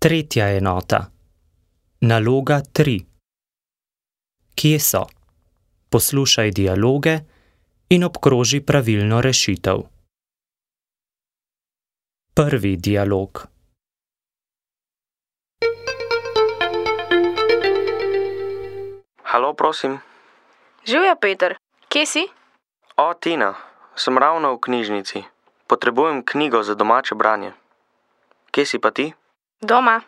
Tretja enota. Naloga 3. Kje so? Poslušaj dialoge in obkroži pravilno rešitev. Prvi dialog. Halo, prosim. Živjo, Peter. Kje si? O, Tina, sem ravno v knjižnici. Potrebujem knjigo za domače branje. Kje si pa ti? Doma.